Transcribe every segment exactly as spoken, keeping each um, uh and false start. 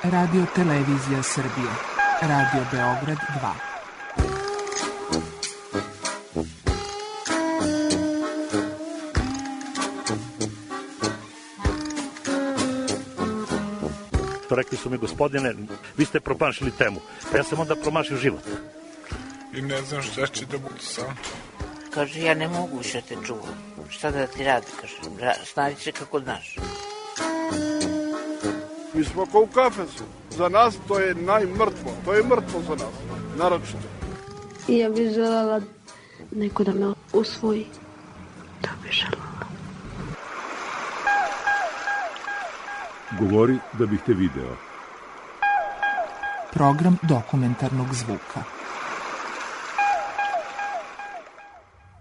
Radio Televizija Srbije. Radio Beograd dva. Rekli su mi, gospodine, vi ste promašili temu. Pa ja sam onda promašio život. I ne znam šta će da budu sam. Kaže, ja ne mogu više te čuvam. Šta da ti radi, kaže. Snađi se kako znaš. Mi smo kao u kafesu. Za nas to je najmrtvo. To je mrtvo za nas. Naročito. I ja bih želela neko da me usvoji. To bih želela. Govori da bih te video. Program dokumentarnog zvuka.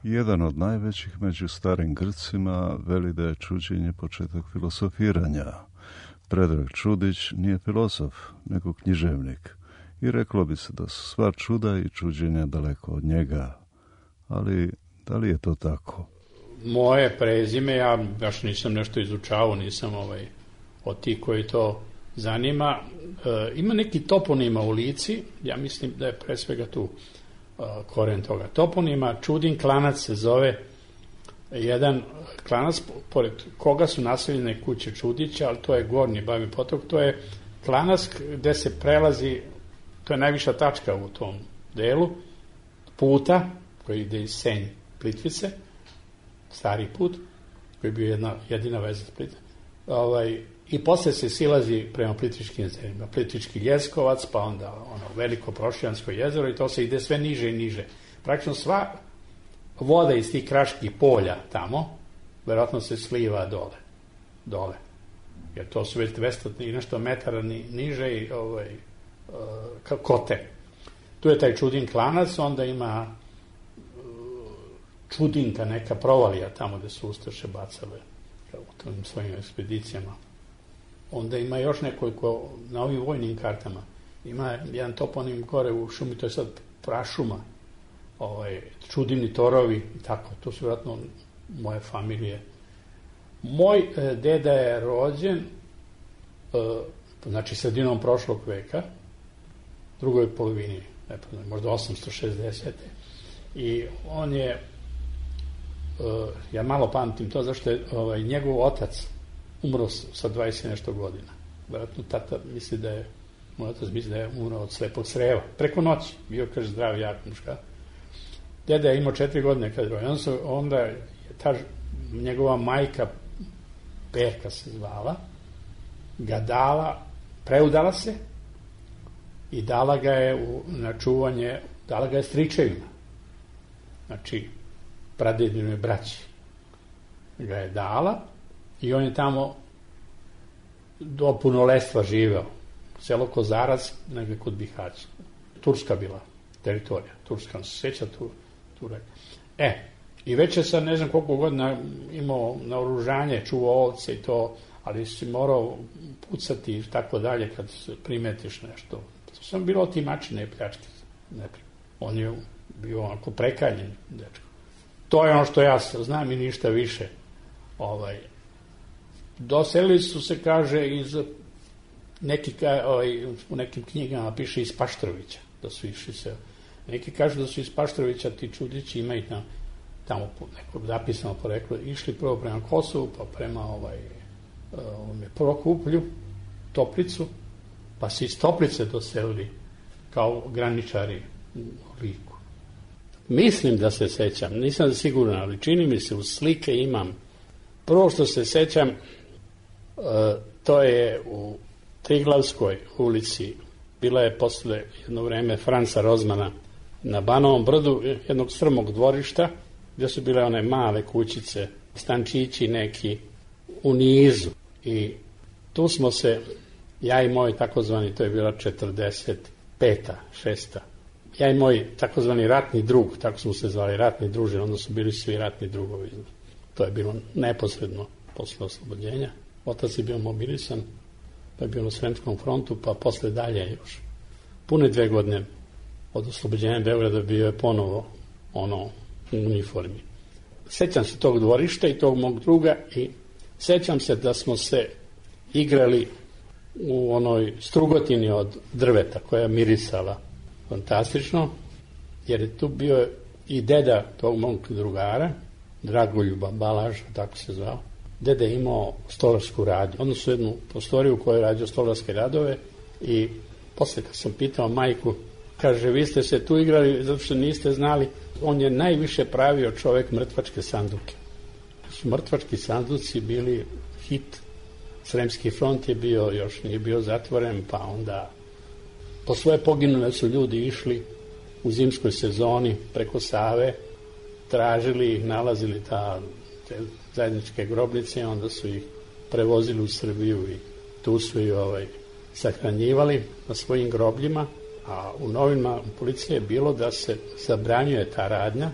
Jedan od najvećih među starim Grcima veli da je čuđenje početak filosofiranja. Predrag Čudić nije filozof, nego književnik. I reklo bi se da su sva čuda i čuđenja daleko od njega. Ali da li je to tako? Moje prezime, ja baš nisam nešto izučavao, nisam ovaj, od tih koji to zanima. E, ima neki toponima u Lici, ja mislim da je pre svega tu e, koren toga toponima. Čudin Klanac se zove, jedan klanac pored koga su naseljene kuće Čudića, ali to je Gornji Babin potok, to je klanac gde se prelazi, to je najviša tačka u tom delu, puta koji ide iz Senj Plitvice, stari put, koji je bio jedna, jedina veza s Plitvice, ovaj, i posle se silazi prema Plitvičkim jezerima, Plitvički Ljeskovac, pa onda ono veliko Prošijansko jezero i to se ide sve niže i niže. Praktično sva voda iz tih kraških polja tamo, verovatno se sliva dole, dole. Jer to su već dvesta i nešto metara ni, niže i ovaj, uh, kote. Tu je taj Čudin Klanac, onda ima uh, Čudinka, neka provalija tamo gde su Ustaše bacale u tim svojim ekspedicijama. Onda ima još nekoliko, na ovim vojnim kartama, ima jedan toponim gore u šumi, to je sad prašuma, ovaj, Čudini torovi i tako, to su vjerojatno moje familije. Moj e, deda je rođen, e, znači sredinom prošlog veka, drugoj polovini, ne znam, možda osamsto šezdesete i on je, e, ja malo pamtim to, zašto je ovaj, njegov otac umro sa dvadeset nešto godina. Vjerojatno tata misli da je, moj otac misli da je umro od slepog creva, preko noći, bio, kaže, zdrav, jak muška. Deda je imao četiri godine kad je rođen, onda je ta njegova majka, Perka se zvala, ga dala, preudala se i dala ga je u, na čuvanje, dala ga je stričevima. Znači, pradedinoj braći ga je dala i on je tamo do punoletstva živeo. Selo Kozarac, negde kod Bihaća. Turska bila teritorija, Turska, se sjeća tu, tu rekao. E, i već je sad ne znam koliko godina imao naoružanje, čuvao ovce i to, ali si morao pucati i tako dalje kad primetiš nešto. To sam bilo otimačine i pljačke. On je bio onako prekaljen dečko. To je ono što ja znam i ništa više. Ovaj, doselili su se, kaže, iz neki, ovaj, u nekim knjigama piše iz Paštrovića, da su išli se. Neki kažu da su iz Paštrovića ti Čudići, ima i tam, tamo neko zapisano poreklo, išli prvo prema Kosovu, pa prema ovaj, um, Prokuplju, Toplicu, pa se iz Toplice doselili kao graničari u Liku. Mislim da se sećam, nisam siguran, ali čini mi se, u slike imam. Prvo što se sećam, uh, to je u Triglavskoj ulici, bila je posle jedno vreme Franca Rozmana na Banovom brdu, jednog strmog dvorišta, gdje su bile one male kućice, stančići neki u nizu. I tu smo se, ja i moj takozvani, to je bila četrdeset peta, šesta, ja i moj takozvani ratni drug, tako smo se zvali, ratni druže, onda su bili svi ratni drugovi. To je bilo neposredno posle oslobođenja. Otac je bio mobilisan, pa je bio na Sremskom frontu, pa posle dalje još. Pune dve godine od oslobođenja Beograda bio je ponovo ono u uniformi. Sećam se tog dvorišta i tog mog druga i sećam se da smo se igrali u onoj strugotini od drveta koja je mirisala fantastično, jer je tu bio i deda tog mog drugara, Dragoljuba Balaža, tako se zvao. Deda je imao stolarsku radnju, odnosno jednu prostoriju u kojoj je radio stolarske radove i posle kad sam pitao majku, kaže, vi ste se tu igrali zato što niste znali, on je najviše pravio čovek mrtvačke sanduke. Su mrtvački sanduci bili hit. Sremski front je bio, još nije bio zatvoren, pa onda po svoje poginule su ljudi išli u zimskoj sezoni preko Save, tražili ih, nalazili ta, te zajedničke grobnice, onda su ih prevozili u Srbiju i tu su ih ovaj, sahranjivali na svojim grobljima, a u novinama policije je bilo da se zabranjuje ta radnja,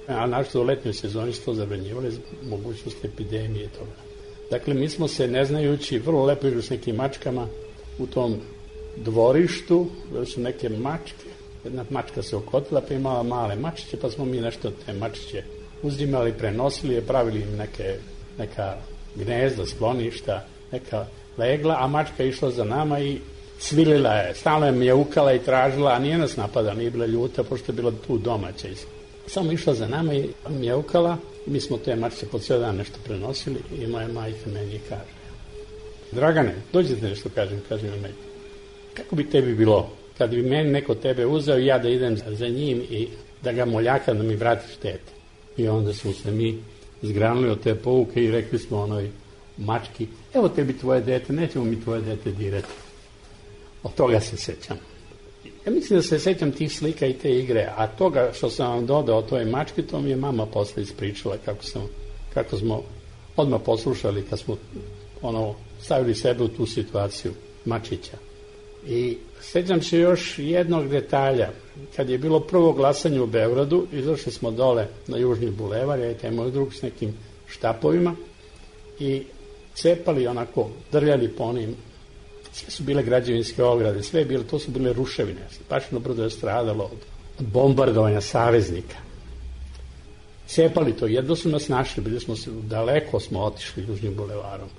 a našto u letnjoj sezoni su to zabranjivali zbog mogućnosti epidemije i toga. Dakle, mi smo se, ne znajući, vrlo lepo igrali s nekim mačkama u tom dvorištu, da su neke mačke, jedna mačka se okotila, pa imala male mačiće, pa smo mi nešto te mačiće uzimali, prenosili je, pravili im neke, neka gnezda, skloništa, neka legla, a mačka je išla za nama i cvilila je, stalno je mjaukala i tražila, a nije nas napada, nije bila ljuta, pošto je bila tu domaća. Samo išla za nama i mjaukala, mi smo te mačiće po cijel dan nešto prenosili i moja majka meni kaže, Dragane, dođete nešto, kažem, kažem na meni, kako bi tebi bilo kad bi meni neko tebe uzeo i ja da idem za njim i da ga moljakam da mi vratiš tete. I onda smo se mi zgranuli od te pouke i rekli smo onoj mački, evo tebi tvoje dete, nećemo mi tvoje dete dirati. Od toga se sećam. Ja mislim da se sećam tih slika i te igre, a toga što sam vam dodao toj mački, to mi je mama posle ispričala kako, sam, kako smo odmah poslušali kad smo ono, stavili sebe u tu situaciju mačića. I sećam se još jednog detalja. Kad je bilo prvo glasanje u Beogradu, izašli smo dole na Južni bulevar, ja i taj moj drug s nekim štapovima i cepali onako, drljali po onim, sve su bile građevinske ograde, sve je bilo, to su bile ruševine. Pašno brdo je stradalo od bombardovanja saveznika. Cepali to, jedno su nas našli, bili smo se, daleko smo otišli Južnim bulevarom.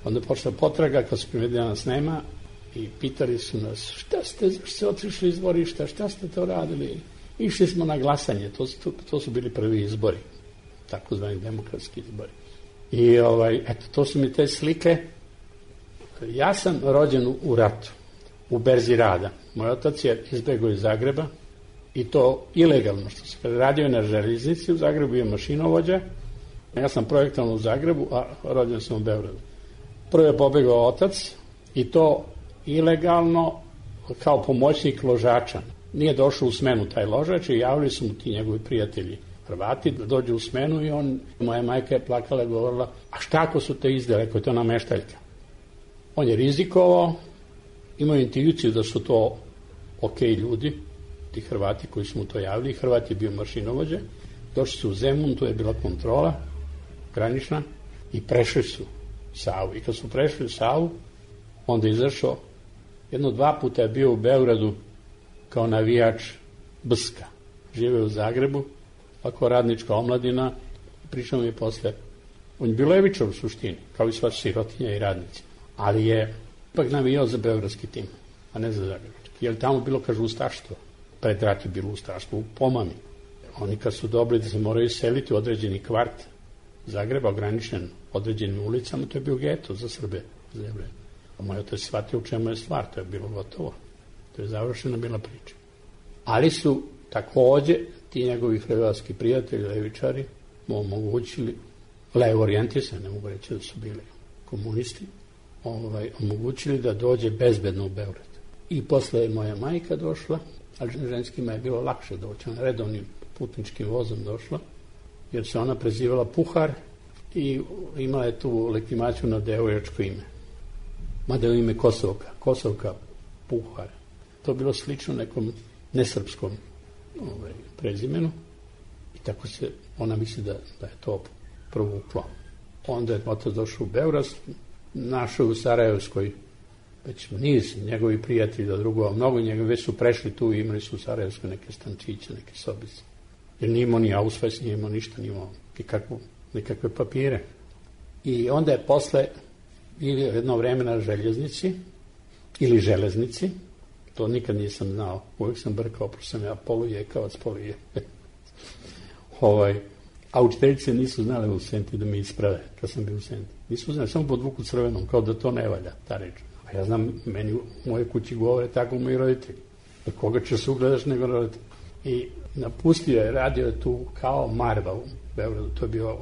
Onda je počela potraga, kad su primetili da nas nema, i pitali su nas, šta ste, zašto ste otišli iz dvorišta, šta ste to radili? Išli smo na glasanje, to su, to su bili prvi izbori, takozvani demokratski izbori. I ovaj, eto, to su mi te slike. Ja sam rođen u ratu, u berzi rada. Moj otac je izbegao iz Zagreba i to ilegalno, što se kada radio na železnici u Zagrebu, bio mašinovođa. Ja sam projektovan u Zagrebu, a rođen sam u Beogradu. Prvo je pobegao otac i to ilegalno kao pomoćnik ložača. Nije došao u smenu taj ložač i javili su mu ti njegovi prijatelji Hrvati da dođe u smenu i on, moja majka je plakala i govorila, a šta ako su te izdali, ako je to nameštaljka? On je rizikovao, imao intuiciju da su to ok ljudi, ti Hrvati koji su mu to javili, Hrvat je bio mašinovođa, došli su u Zemun, tu je bila kontrola granična i prešli su Savu. I kad su prešli Savu, onda je izašao, jedno dva puta je bio u Beogradu kao navijač Bska. Žive u Zagrebu, ako radnička omladina, pričamo je posle. On je bio levičar u suštini, kao i sva sirotinja i radnici. Ali je ipak navijao za beogradski tim, a ne za zagrebački. Jer tamo bilo, kaže, ustaštvo. Pred rat je bilo ustaštvo u Pomami. Oni kad su dobili da se moraju seliti u određeni kvart Zagreba, ograničen određenim ulicama, to je bio geto za Srbe, za Jevreje. A moj otac shvatio u čemu je stvar, to je bilo gotovo. To je završena bila priča. Ali su takođe ti njegovi hrvatski prijatelji, levičari, mu omogućili, levo orijentisani, ne mogu reći da su bili komunisti, ovaj, omogućili da dođe bezbedno u Beograd. I posle je moja majka došla, ali ženskima je bilo lakše doći, ona redovnim putničkim vozom došla, jer se ona prezivala Puhar i imala je tu legitimaciju na devojačko ime. Mada je ime Kosovka, Kosovka Puhar. To je bilo slično nekom nesrpskom ovaj, prezimenu i tako se ona misli da, da je to provuklo. Onda je otac došao u Beograd, našao u Sarajevskoj već niz njegovi prijatelji do drugova, mnogo njegovi već su prešli tu i imali su u Sarajevskoj neke stančiće, neke sobice. Jer nije imao ni ausvajs, nije imao ništa, nije imao nikakvu, nikakve papire. I onda je posle ili jedno vreme na željeznici ili železnici. To nikad nisam znao. Uvijek sam brkao, pošto sam ja polujekavac, poluje. ovaj, a učiteljice nisu znale u Senti da mi isprave kad sam bio u Senti. Nisu znali, samo podvuku crvenom, kao da to ne valja, ta reč. A ja znam, meni u moje kući govore tako moji roditelji. Da koga će se ugledaš nego roditelji. I napustio je, radio je tu kao Marva u Beogradu. To je bio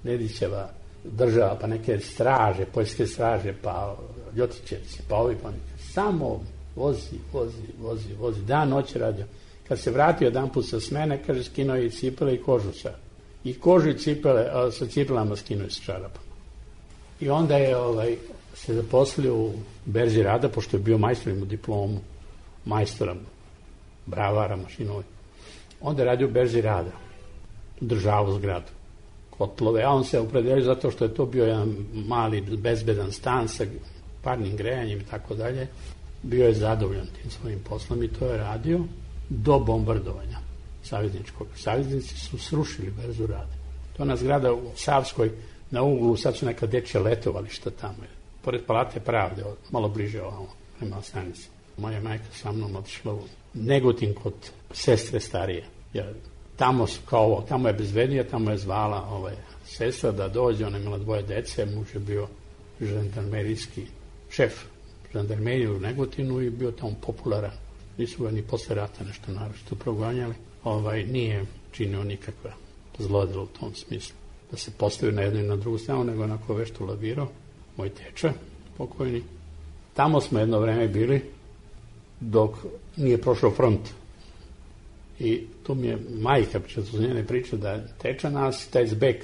Nedićeva država, pa neke straže, poljske straže, pa Ljotićevci, pa ovi, pa neke. Samo vozi, vozi, vozi, vozi. Dan, noć je radio. Kad se vratio jedan put sa smene, kaže, skinuo je i cipele i kožu sa. I kožu i cipele, a sa cipelama skinuo je sa čarapama. I onda je ovaj, se zaposlio u berzi rada, pošto je bio majstor, imao diplomu majstora, bravara, mašinovi. Onda je radio u berzi rada, državu zgradu, kotlove, a on se opredelio zato što je to bio jedan mali, bezbedan stan sa parnim grejanjem i tako dalje. Bio je zadovoljan tim svojim poslom i to je radio do bombardovanja savezničkog. Saveznici su srušili berzu rada. To je ona zgrada u Savskoj, na uglu, sad su neka dečja letovališta tamo. Pored Palate Pravde, malo bliže ovamo, prema stanici. Moja majka sa mnom otišla u Negotin kod sestre starije. Jer tamo, kao ovo, tamo je bezbednije, tamo je zvala ovaj, sestra da dođe, ona je imala dvoje dece, muž je bio žandarmerijski šef žandarmerije u Negotinu i bio tamo popularan. Nisu ga ni posle rata nešto naročito proganjali. Ovaj, nije činio nikakva zlodela u tom smislu. Da se postavio na jednu i na drugu stranu, nego onako vešto lavirao, moj teča, pokojni. Tamo smo jedno vreme bili, dok nije prošao front. I tu mi je majka, što su njene priče, da teča nas, taj zbeg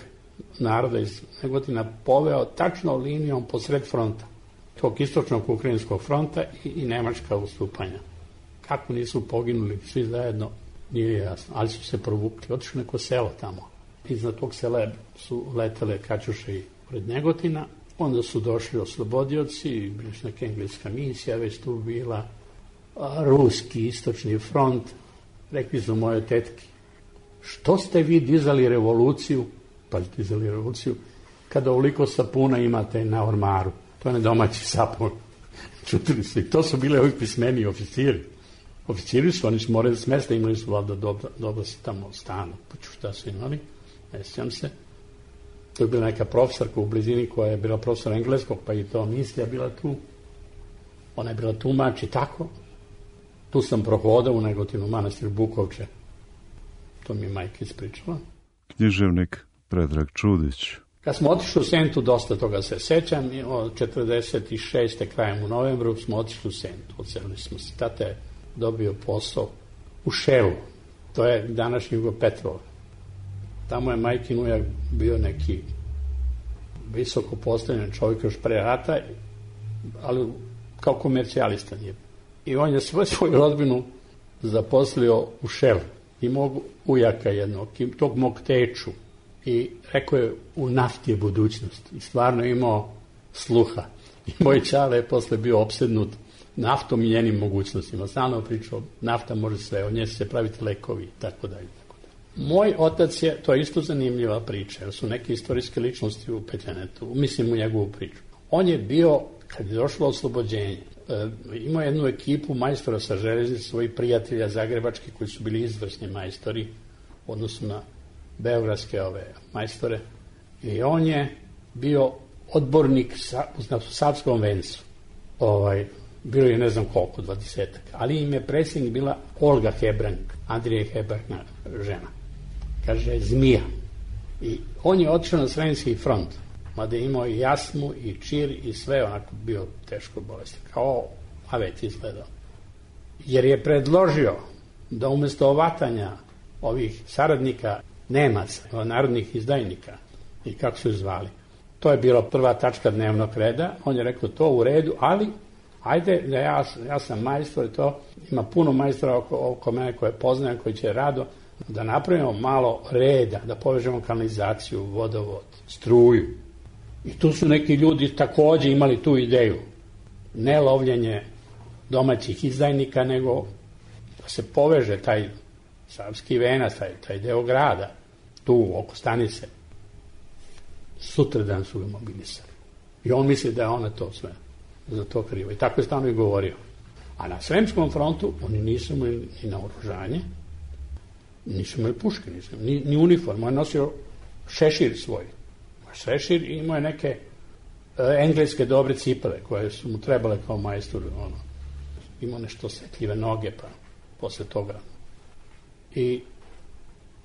naroda iz Negotina poveo tačno linijom posred fronta. Tog istočnog ukrajinskog fronta i, i nemačka ustupanja. Kako nisu poginuli svi zajedno, nije jasno, ali su se provukli. Otišli neko selo tamo. Iznad tog sela su letele kaćuše i pred Negotina. Onda su došli oslobodioci, biš neka engleska misija već tu bila, ruski istočni front. Rekli su moje tetki, što ste vi dizali revoluciju, pa dizali revoluciju, kada ovoliko sapuna imate na ormaru. To je nedomaći sapun. Čutili su i to su bile ovi pismeni oficiri. Oficiri su, oni su morali smesta, imali su valjda dobro, dobro se tamo stanu. Pa ću šta su imali, ne sjećam se. To je bila neka profesorka u blizini koja je bila profesor engleskog, pa i to misija bila tu. Ona je bila tumač i tako. Tu sam prohodao u Negotinu, manastir Bukovče. To mi je majka ispričala. Književnik Predrag Čudić. Kad smo otišli u Sentu, dosta toga se sećam, od četrdeset šeste krajem u novembru smo otišli u Sentu, odselili smo se. Tata je dobio posao u Šelu, to je današnji Jugo Petrova. Tamo je majkin ujak bio neki visoko postavljen čovjek još pre rata, ali kao komercijalista nije. I on je svoju, svoju rodbinu zaposlio u Šelu. I mog ujaka jednog, tog mog teču. I rekao je, u nafti je budućnost. I stvarno imao sluha. I moj čale je posle bio opsednut naftom i njenim mogućnostima. Stalno pričao, nafta može sve, od nje se praviti lekovi, tako dalje. Moj otac je, to je isto zanimljiva priča, jer su neke istorijske ličnosti upetljene tu, mislim u njegovu priču. On je bio, kad je došlo oslobođenje, e, imao jednu ekipu majstora sa železnice, svojih prijatelja zagrebački, koji su bili izvrsni majstori, u odnosu na beogradske ove majstore. I on je bio odbornik sa, na Savskom vencu. Ovaj, bilo je ne znam koliko, dvadesetak. Ali im je predsjednik bila Olga Hebrang, Andrije Hebrang žena. Kaže, zmija. I on je otišao na Sremski front, mada je imao i jasmu, i čir, i sve, onako bio teško bolestan. Kao avet izgledao. Jer je predložio da umjesto ovatanja ovih saradnika Nemaca, narodnih izdajnika, i kako su zvali, to je bila prva tačka dnevnog reda. On je rekao, to u redu, ali ajde, da ja, ja sam majstor i to, ima puno majstora oko, oko mene koje poznajem, koji će rado, da napravimo malo reda, da povežemo kanalizaciju, vodovod, struju. I tu su neki ljudi takođe imali tu ideju. Ne lovljenje domaćih izdajnika, nego da se poveže taj Savski venac, taj, taj deo grada, tu oko stanice. Sutradan su ga mobilisali. I on misli da je ona to sve. za to krivo. I tako je stalno i govorio. A na Sremskom frontu oni nisu imali ni naoružanje, nisu imali puške, nisu, ni, ni uniformu. On je nosio šešir svoj. Šešir i imao je neke uh, engleske dobre cipele koje su mu trebale kao majstor. Ono. Imao nešto osetljive noge, pa posle toga. I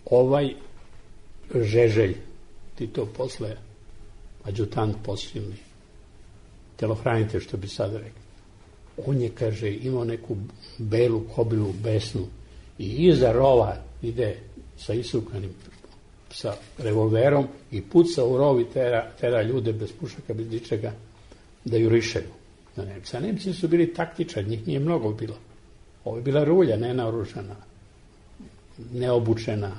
ovaj Žeželj, ti to posle adjutant posilni, telohranitelj, što bi sad rekao, on je, kaže, imao neku belu kobilu besnu i iza rova ide sa isukanim, sa revolverom i puca u rov i tera, tera ljude bez pušaka, bez ničega, da jurišaju na Nemce. A Nemci su bili taktičari, njih nije mnogo bilo. Ovo je bila rulja, nenaoružana, neobučena,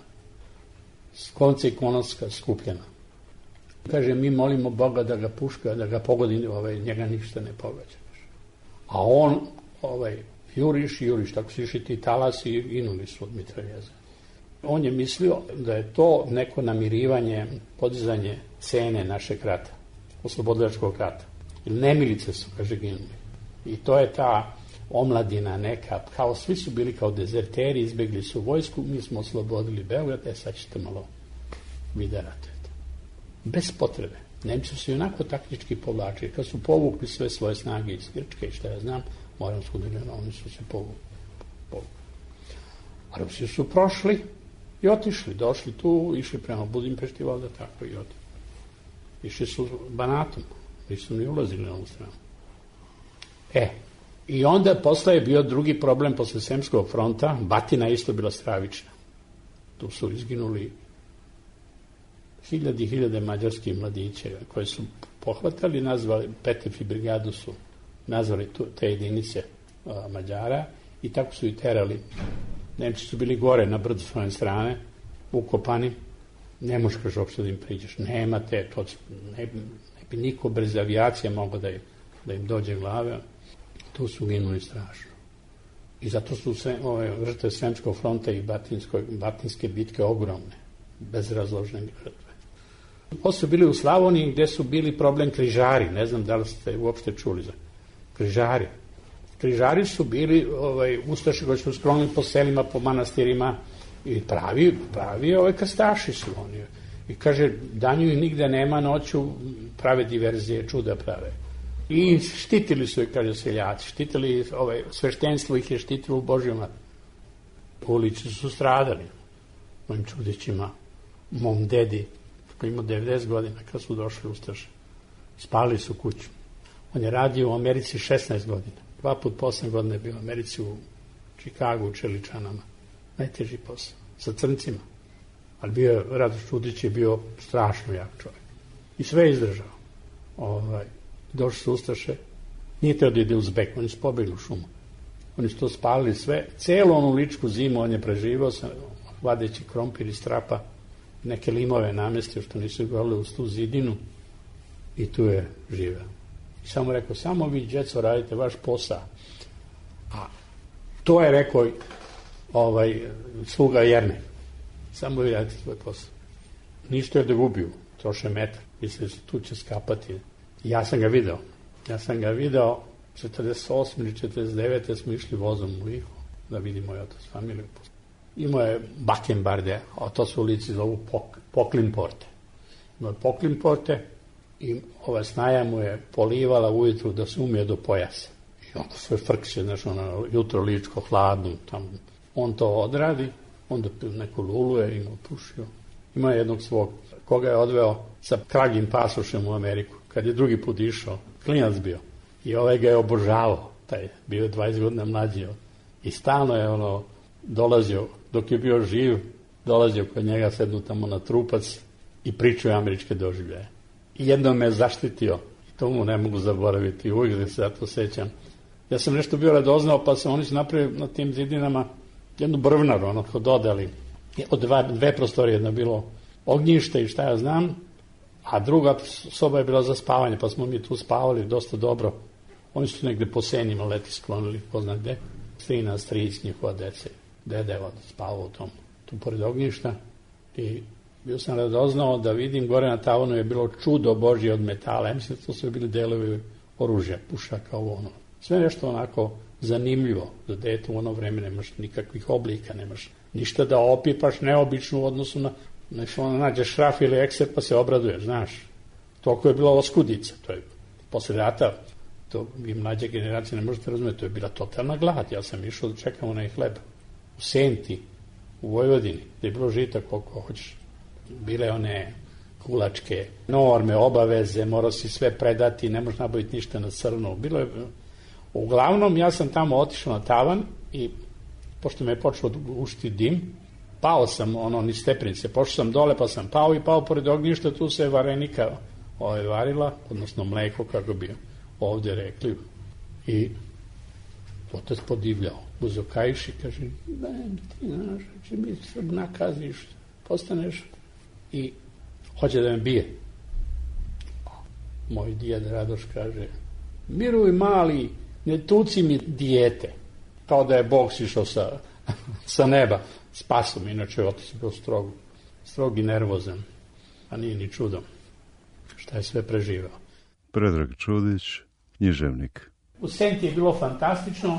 s konca i konoska skupljena. Kaže, mi molimo Boga da ga puška, da ga pogodi, ovaj, njega ništa ne pogađa. A on, ovaj, juriš, juriš, tako su išli ti talasi i ginuli su od mitraljeza. On je mislio da je to neko namirivanje, podizanje cene našeg rata, oslobodilačkog rata. Ili nemilice su, kaže, ginuli. I to je ta omladina neka, kao svi su bili kao dezerteri, izbegli su vojsku, mi smo oslobodili Beograd, e sad ćete malo vi da ratujete. Bez potrebe. Nemci su i onako taktički povlačili. Kad su povukli sve svoje snage iz Grčke i šta ja znam, Moravsku dolinu, oni su se povukli. povukli. A Rusi su prošli i otišli, došli tu, išli prema Budimpešti, valjda tako i otišli. Išli su Banatom, nisu ni ulazili na ovu stranu. E, i onda posle je bio drugi problem posle Sremskog fronta, Batina isto bila stravična. Tu su izginuli hiljade i hiljade mađarskih mladića koje su pohvatali, nazvali, Petefi brigadu su nazvali tu, te jedinice a, Mađara i tako su i terali. Nemci su bili gore na brdu svoje strane, ukopani, ne možeš, kaže, uopšte da im priđeš. Nemate, to, ne, ne bi niko brez avijacije mogao da im, da im dođe glave. Tu su ginuli strašno. I zato su sve, ove žrtve Sremskog fronta i Batinske bitke ogromne, bezrazložne žrtve. Ovo su bili u Slavoniji gde su bili problem križari, ne znam da li ste uopšte čuli za križari. Križari su bili ovaj, ustaši koji su sklonili po selima, po manastirima i pravi, pravi ovaj krstaši su oni. I kaže, danju ih nigde nema, noću prave diverzije, čuda prave. I štitili su ih, kaže, seljaci, štitili, ovaj, sveštenstvo ih je štitilo u Božjom ratu. Ulici su stradali mojim čudićima, mom dedi, koji imao devedeset godina kad su došli ustaše. Spali su kuću. On je radio u Americi šesnaest godina. Dva put po osam godina je bio u Americi, u Čikagu, u Čeličanama. Najteži posao. Sa crncima. Ali bio je, Radoš Čudić je bio strašno jak čovjek. I sve je izdržao. Ovaj, došli su ustaše. Nije teo da ide uz bek, oni su pobegli u šumu. Oni su to spalili sve. Celu onu ličku zimu on je preživao sa vadeći krompir iz trapa, neke limove namestio što nisu gorili uz tu zidinu i tu je živeo. I samo rekao, samo vi, djeco, radite vaš posao. A to je rekao ovaj, sluga Jernej. Samo vi radite svoj posao. Ništa je da gubiju, troše metar. Misle su tu će skapati. I ja sam ga video. Ja sam ga video četrdeset osme ili četrdeset devete smo išli vozom u Lihu da vidimo moj otac familiju. Imao je bakembarde, a to su u Lici zovu pok, poklinporte. Imao je poklinporte i ova snaja mu je polivala ujutru da se umije do pojasa. I onda sve frkće, znaš, ono, jutro ličko, hladno, tamo. On to odradi, onda neko luluje, ima pušio. Ima jednog svog, koga je odveo sa kragim pasošem u Ameriku. Kad je drugi put išao, klinac bio. I ovaj ga je obožavao, taj bio je dvadeset godina mlađi. I stalno je ono dolazio, dok je bio živ, dolazio kod njega, sednu tamo na trupac i pričao američke doživljaje. I jednom me zaštitio. I to mu ne mogu zaboraviti. Uvijek se ja to sećam. Ja sam nešto bio radoznao, pa sam oni su napravili na tim zidinama jednu brvnaru, ono kao dodali. Od dva, dve prostorije, jedna bilo ognjište i šta ja znam, a druga soba je bila za spavanje, pa smo mi tu spavali dosta dobro. Oni su negde po senjima leti sklonili, ko zna gde. Strina, stric, njihova dece, dede je spavao u tom, tu pored ognjišta. I bio sam radoznao da vidim, gore na tavanu je bilo čudo Božje od metala. Ja mislim da to su bili delovi oružja, pušaka, ovo ono. Sve nešto onako zanimljivo za dete. U ono vreme nemaš nikakvih oblika, nemaš ništa da opipaš neobično u odnosu na, znači ono nađe šraf ili ekser pa se obraduješ, znaš. Toliko je bila oskudica, to je posle rata, to vi mlađe generacije ne možete razumjeti, to je bila totalna glad. Ja sam išao da čekam onaj hleb u Senti, u Vojvodini, gde je bilo žita koliko hoćeš. Bile one kulačke norme, obaveze, morao si sve predati, ne možeš nabaviti ništa na crno. Bilo je, uglavnom, ja sam tamo otišao na tavan i pošto me je počeo ušti dim, pao sam, ono, ni stepenice, pošao sam dole, pa sam pao i pao pored ognjišta, tu se varenika ove, varila, odnosno mleko, kako bi ovdje rekli. I otac podivljao, uzokajši, kaže, da, ti znaš, će mi se nakaziš, postaneš i hoće da me bije. Moj djed Radoš kaže, miruj mali, ne tuci mi dijete. Kao da je Bog sišao sa, sa neba. Spasom, inače otac je bio strog, strog i nervozan, a nije ni čudom šta je sve preživao. Predrag Čudić, književnik. U Senti je bilo fantastično.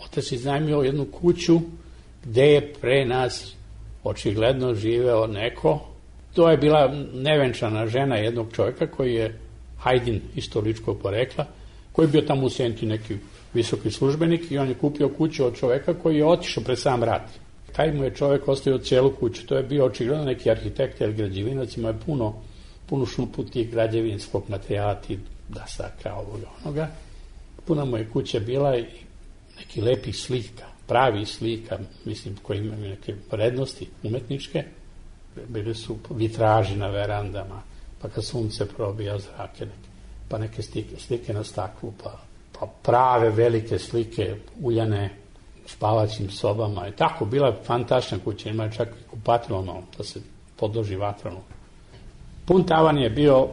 Otac je iznajmio jednu kuću gde je pre nas očigledno živeo neko. To je bila nevenčana žena jednog čovjeka koji je Hajdin istoličkog porekla, koji je bio tamo u Senti neki visoki službenik i on je kupio kuću od čovjeka koji je otišao pred sam rat. Taj mu je čovjek ostavio cijelu kuću. To je bio očigledno neki arhitekt ili građevinac, ima je puno, puno šuputih građevinskog materijala, ti dasaka, ovoga, onoga. Puna mu je kuća bila i neki lepih slika, pravi slika, mislim, koji imaju neke vrednosti umetničke. Bili su vitraži na verandama, pa kad sunce probija zrake, neke, pa neke slike, slike na staklu, pa, pa prave velike slike uljane u spavaćim sobama. I tako, bila je fantastična kuća, ima je čak i kupatilo da se podloži vatranu. Pun tavan je bio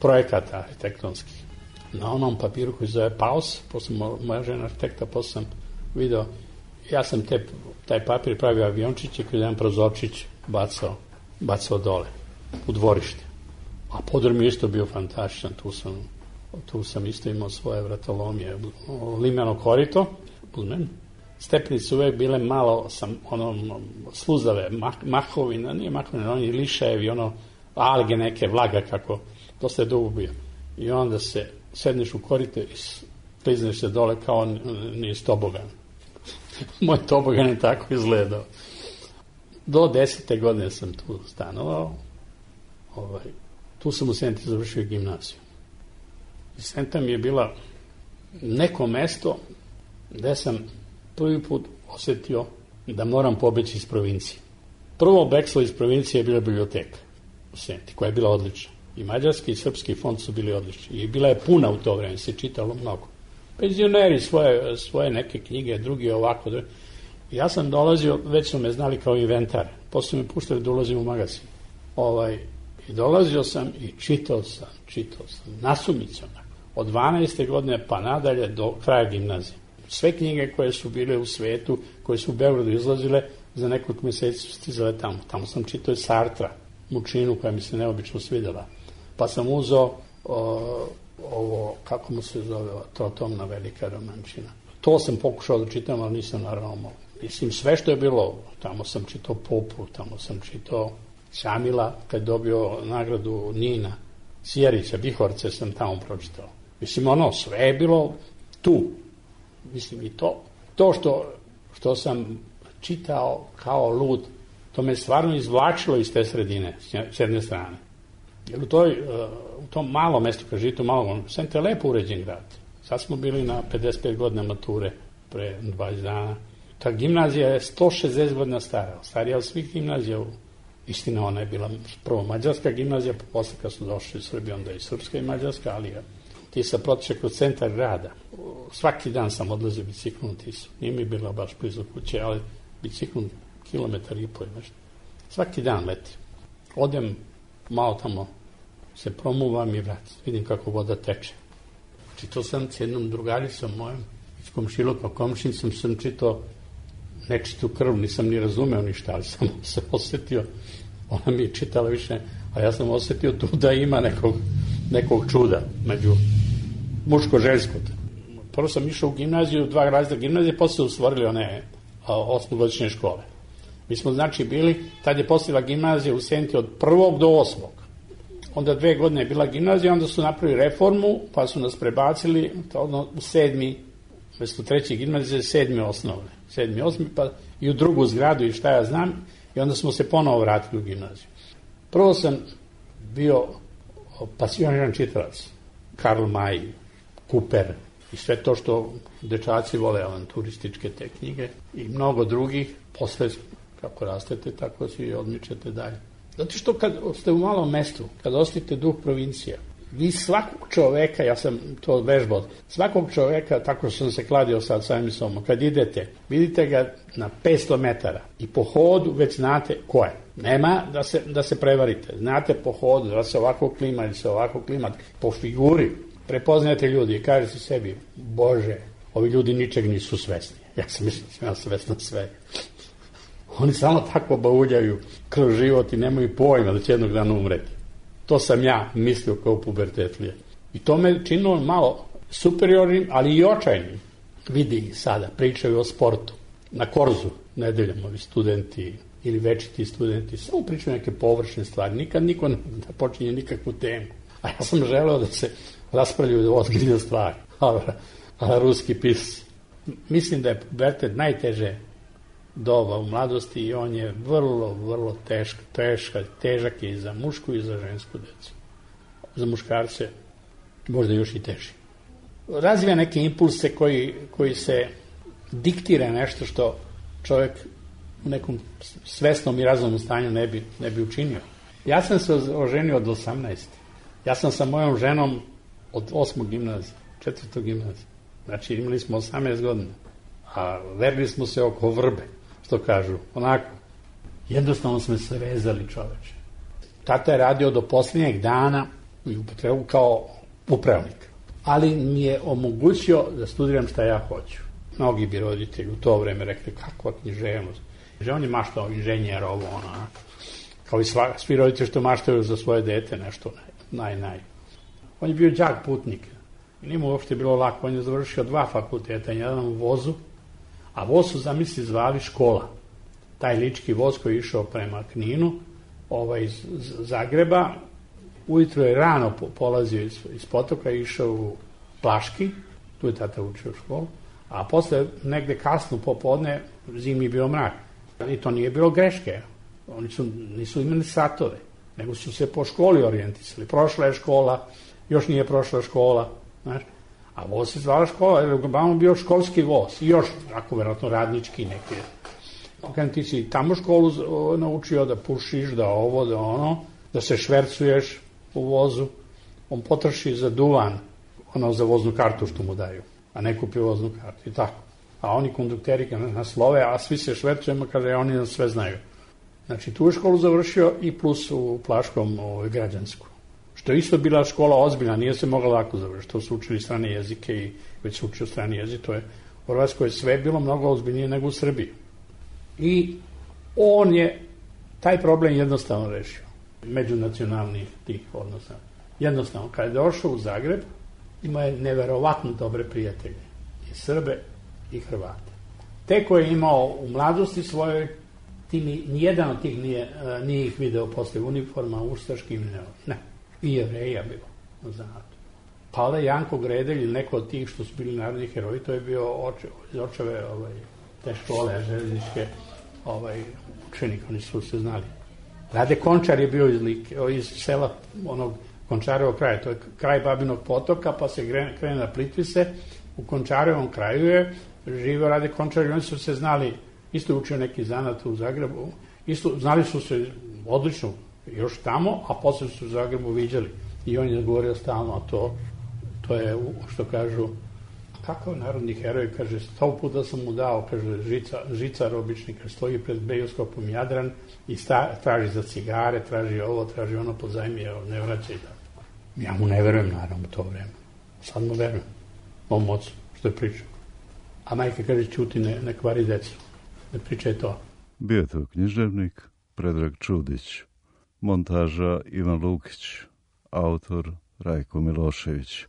projekata arhitektonskih. Na onom papiru koji zove Paus, posle moja žena arhitekta, posle sam video, ja sam te, taj papir pravio aviončiće koji je jedan prozorčić bacao, bacao dole, u dvorište. A podrum je isto bio fantastičan, tu sam, tu sam isto imao svoje vratolomije, limeno korito, uzmem. Stepenice uvek bile malo, sam, ono, sluzave, mah, mahovina, nije mahovina, oni lišajevi, ono, alge neke, vlaga, kako, dosta je dugo bio. I onda se sedneš u korite i klizneš se dole kao nije tobogan. Moj tobogan je tako izgledao. Do desete godine sam tu stanovao. Ovaj, tu sam u Senti završio gimnaziju. I Senta mi je bila neko mesto gde sam prvi put osetio da moram pobeći iz provincije. Prvo bekstvo iz provincije je bila biblioteka u Senti, koja je bila odlična. I mađarski i srpski fond su bili odlični. I bila je puna u to vreme, se čitalo mnogo. Penzioneri svoje, svoje neke knjige, drugi ovako. Drugi. Ja sam dolazio, već su me znali kao inventar. Posle me puštali da ulazim u magazin. Ovaj, I dolazio sam i čitao sam, čitao sam, nasumicom. Od dvanaeste godine pa nadalje do kraja gimnazije. Sve knjige koje su bile u svetu, koje su u Beogradu izlazile, za nekoliko mjeseci su stizale tamo. Tamo sam čitao i Sartra, Mučinu, koja mi se neobično svidjela. Pa sam uzeo o, ovo, kako mu se zove, to Tomna velika romančina. To sam pokušao da čitam, ali nisam naravno mogu. Mislim, sve što je bilo, tamo sam čitao Popu, tamo sam čitao Šamila, kad je dobio nagradu Nina, Sjerića, Bihorce sam tamo pročitao. Mislim, ono, sve je bilo tu. Mislim, i to, to što, što sam čitao kao lud, to me stvarno izvlačilo iz te sredine, s jedne strane. Jer u, toj, u tom malom mestu, kad živite u malom, Senta je lepo uređen grad. Sad smo bili na pedeset pet godina mature, pre dvadeset dana. Ta gimnazija je sto šezdeset godina stara, starija od svih gimnazija. Istina, ona je bila prvo mađarska gimnazija, pa posle kad su došli iz Srbije, onda i srpska i mađarska, ali ti se protiče kroz centar grada. Svaki dan sam odlazio biciklom u Tisu. Nije mi bila baš blizu kuće, ali biciklom kilometar i pol nešto. Svaki dan leti. Odem malo tamo, se promuvam i vratim. Vidim kako voda teče. Čitao sam s jednom drugaricom mojom, iz komšiluka, komšinicom sam čitao nečitu krv, nisam ni razumeo ništa, ali sam se osetio, ona mi je čitala više, a ja sam osetio tu da ima nekog, nekog čuda među, muško-žensko. Prvo sam išao u gimnaziju, dva razreda gimnazije, posle su stvorili one osmogodišnje škole. Mi smo znači bili, tad je postojala gimnazija u Senti od prvog do osmog. Onda dve godine je bila gimnazija, onda su napravili reformu, pa su nas prebacili ono, u sedmi, mesto treći gimnazije, sedmi osnovne. Sedmi, osmi, pa i u drugu zgradu i šta ja znam, i onda smo se ponovo vratili u gimnaziju. Prvo sam bio pasioniran čitalac, Karl May, Cooper i sve to što dečaci vole, avanturističke te knjige i mnogo drugih. Posle, kako rastete, tako se i odmičete dalje. Zato što kad ste u malom mestu, kad osjetite duh provincija, vi svakog čoveka, ja sam to vežbao, svakog čoveka, tako što sam se kladio sad samim sobom, kad idete, vidite ga na petsto metara i po hodu već znate ko je. Nema da se, da se prevarite. Znate po hodu da se ovako klima ili se ovako klima. Po figuri prepoznajete ljudi i kažete sebi, Bože, ovi ljudi ničeg nisu svesni. Ja sam mislio da sam ja svesna sve. Oni samo tako bauljaju kroz život i nemaju pojma da će jednog dana umreti. To sam ja mislio kao pubertetlije. I to me činilo malo superiornim, ali i očajnim. Vidi ih sada, pričaju o sportu. Na Korzu, nedeljom, ovi studenti ili večiti studenti, samo pričaju neke površne stvari. Nikad niko ne počinje nikakvu temu. A ja sam želeo da se raspravljaju ozbiljne stvari. A, a ruski pisci. Mislim da je pubertet najteže doba u mladosti i on je vrlo, vrlo tešk, teška, težak je i za mušku i za žensku decu. Za muškarce možda još i teži. Razvija neke impulse koji, koji se diktira nešto što čovjek u nekom svesnom i razumnom stanju ne bi, ne bi učinio. Ja sam se oženio od osamnaest. Ja sam sa mojom ženom od osmog gimnazije, četvrtog gimnazije. Znači imali smo osamnaest godina, a verili smo se oko vrbe, što kažu, onako. Jednostavno smo se vezali, čoveče. Tata je radio do posljednjeg dana i upotrebu kao upravnik. Ali mi je omogućio da studiram šta ja hoću. Mnogi bi roditelji u to vreme rekli, kakva književnost. On je maštao inženjer, ovo, ono, kao i sva, svi roditelji što maštaju za svoje dete, nešto naj, naj. On je bio đak putnik. I nije mu uopšte bilo lako. On je završio dva fakulteta, jedan u vozu, a voz su, zamisli, zvali škola. Taj lički voz koji je išao prema Kninu, ovaj, iz Zagreba, ujutro je rano polazio iz, iz Potoka i išao u Plaški, tu je tata učio školu, a posle negde kasno popodne zimi bio mrak. I to nije bilo greške. Oni su, nisu imali satove, nego su se po školi orijentisali. Prošla je škola, još nije prošla škola, znaš. A voz se zvala škola, jer je uglavnom bio školski voz. I još, ako verovatno radnički neki. Kad ti si tamo školu naučio da pušiš, da ovo, da ono, da se švercuješ u vozu, on potroši za duvan, ono za voznu kartu što mu daju, a ne kupi voznu kartu i tako. A oni kondukteri nas love, a svi se švercujemo, kaže, oni nas sve znaju. Znači, tu je školu završio i plus u Plaškom ovaj, građansku. Što je isto bila škola ozbiljna, nije se mogla lako završiti. To su učili strane jezike i već su učili strane jezik, to je u Hrvatskoj sve bilo mnogo ozbiljnije nego u Srbiji. I on je taj problem jednostavno rešio. Međunacionalnih tih odnosa. Jednostavno, kada je došao u Zagreb, ima je neverovatno dobre prijatelje. I Srbe i Hrvate. Te koje je imao u mladosti svojoj, nijedan od tih nije, nije ih video posle uniforma, ustaškim, ne. ne. I Jevreja bilo na zanatu. Pa onda Janko Gredelj ili neko od tih što su bili narodni heroji, to je bio oče, iz očeve ovaj, te škole železničke ovaj, učenik, oni su se znali. Rade Končar je bio iz, Like, iz sela onog Končarevog kraja, to je kraj Babinog potoka, pa se krene na Plitvise, u Končarevom kraju je živio Rade Končar i oni su se znali, isto je učio neki zanat u Zagrebu, isto znali su se odlično još tamo, a posle su u Zagrebu viđali. I on je govorio stalno, a to, to je, što kažu, kakav narodni heroj, kaže, sto puta sam mu dao, kaže, žica, žicar obični, kaže, stoji pred bioskopom Jadran i sta, traži za cigare, traži ovo, traži ono, pozajmije, ne vraća i tako. Ja mu ne verujem, naravno, u to vreme. Sad mu verujem, mom ocu, što je pričao. A majka kaže, ćuti, ne, ne kvari decu, ne pričaj to. Bio je to književnik Predrag Čudić, montaža Ivan Lukić, autor Rajko Milošević.